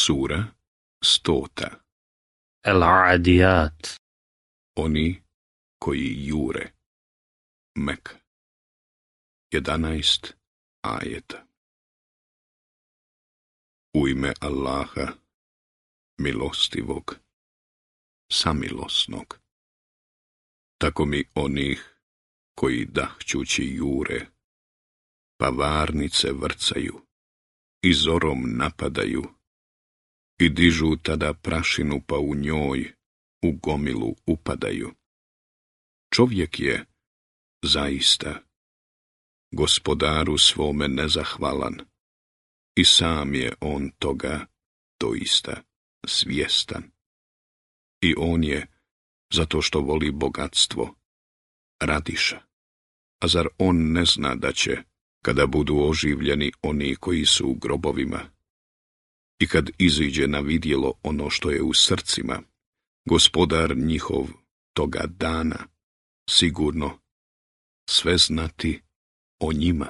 Sura 100. El-Adijat. Oni koji jure. Mek. 11 ajeta. U ime Allaha, milostivog, samilosnog. Tako mi onih koji dahćući jure, pa varnice vrcaju i zorom napadaju i dižu tada prašinu pa u njoj u gomilu upadaju. Čovjek je zaista gospodaru svome nezahvalan i sam je on toga doista svjestan. I on je, zato što voli bogatstvo, radiša. A zar on ne zna da će, kada budu oživljeni oni koji su u grobovima, i kad iziđe na vidjelo ono što je u srcima, gospodar njihov toga dana sigurno sve znati o njima?